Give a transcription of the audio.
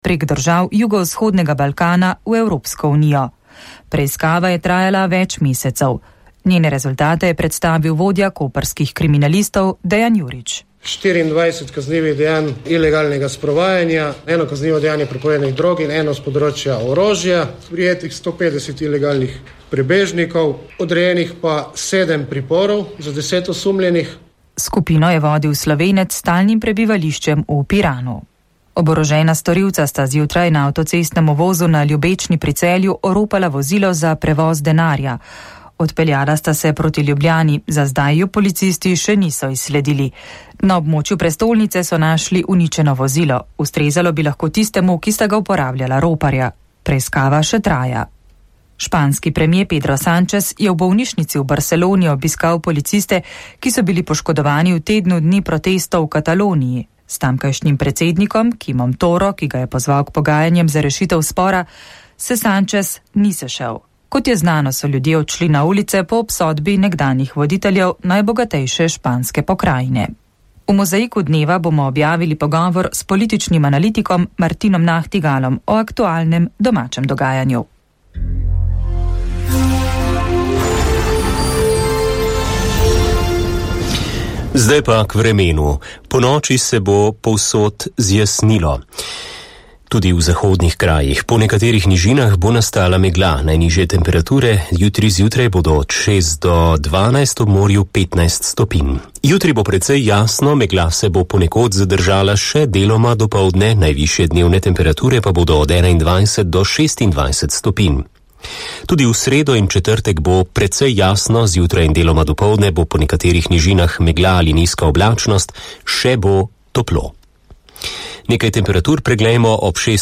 prek držav jugovzhodnega Balkana v Evropsko unijo. Preiskava je trajala več mesecev. Njene rezultate je predstavil vodja koprskih kriminalistov Dejan Jurič. 24 kaznivih dejanj ilegalnega sprovajanja, 1 kaznivo dejanje prepovedanih drog in 1 z področja orožja, prijetih 150 ilegalnih prebežnikov, odrejenih pa 7 priporov za 10 osumljenih. Skupino je vodil Slovenec s stalnim prebivališčem v Piranu. Oborožena storilca sta zjutraj na avtocestnem vozu na Ljubečni pri Celju oropala vozilo za prevoz denarja. Odpeljala sta se proti Ljubljani, za zdaj jo policisti še niso izsledili. Na območju prestolnice so našli uničeno vozilo. Ustrezalo bi lahko tistemu, ki sta ga uporabljala roparja. Preiskava še traja. Španski premier Pedro Sánchez je v bolnišnici v Barceloni obiskal policiste, ki so bili poškodovani v tednu dni protestov v Kataloniji. S tamkajšnjim predsednikom, Kimom Toro, ki ga je pozval k pogajanjem za rešitev spora, se Sánchez ni sešel. Kot je znano, so ljudje odšli na ulice po obsodbi nekdanjih voditeljev najbogatejše španske pokrajine. V mozaiku dneva bomo objavili pogovor s političnim analitikom Martinom Nahtigalom o aktualnem domačem dogajanju. Zdaj pa k vremenu. Ponoči se bo povsod zjasnilo. Tudi v zahodnih krajih. Po nekaterih nižinah bo nastala megla. Najnižje temperature jutri zjutraj bodo od 6 do 12, ob morju 15 stopinj. Jutri bo precej jasno, megla se bo ponekod zadržala še deloma dopoldne, najvišje dnevne temperature pa bodo od 21 do 26 stopinj. Tudi v sredo in četrtek bo precej jasno, zjutraj in deloma dopoldne bo po nekaterih nižinah megla ali nizka oblačnost, še bo toplo. Nekaj temperatur preglejmo ob 6.